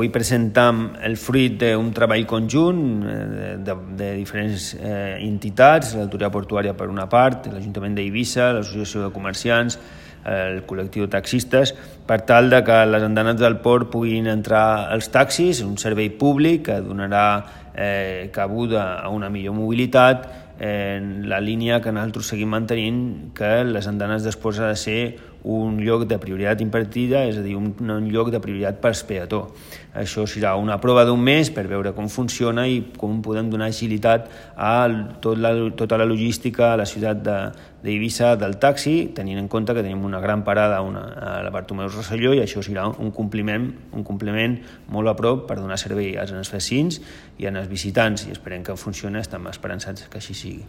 Avui presentam el fruit d'un treball conjunt de diferents entitats, l'Autoritat Portuària per una part, l'Ajuntament d'Eivissa, l'Associació de Comerciants, el col·lectiu de taxistes, per tal de que les andanes del port puguin entrar als taxis, un servei públic que donarà cabuda a una millor mobilitat en la línia que nosaltres seguim mantenint, que les andanes després ha de ser un lloc de prioritat impartida, és a dir, un lloc de prioritat per peató. Això serà una prova d'un mes per veure com funciona i com podem donar agilitat a tota la logística a la ciutat d'Eivissa del taxi, tenint en compte que tenim una gran parada a la Bartomeu Rosselló, i això serà un compliment molt a prop per donar servei als vecins i als visitants, i esperem que funcioni, estem esperançats que així sigui.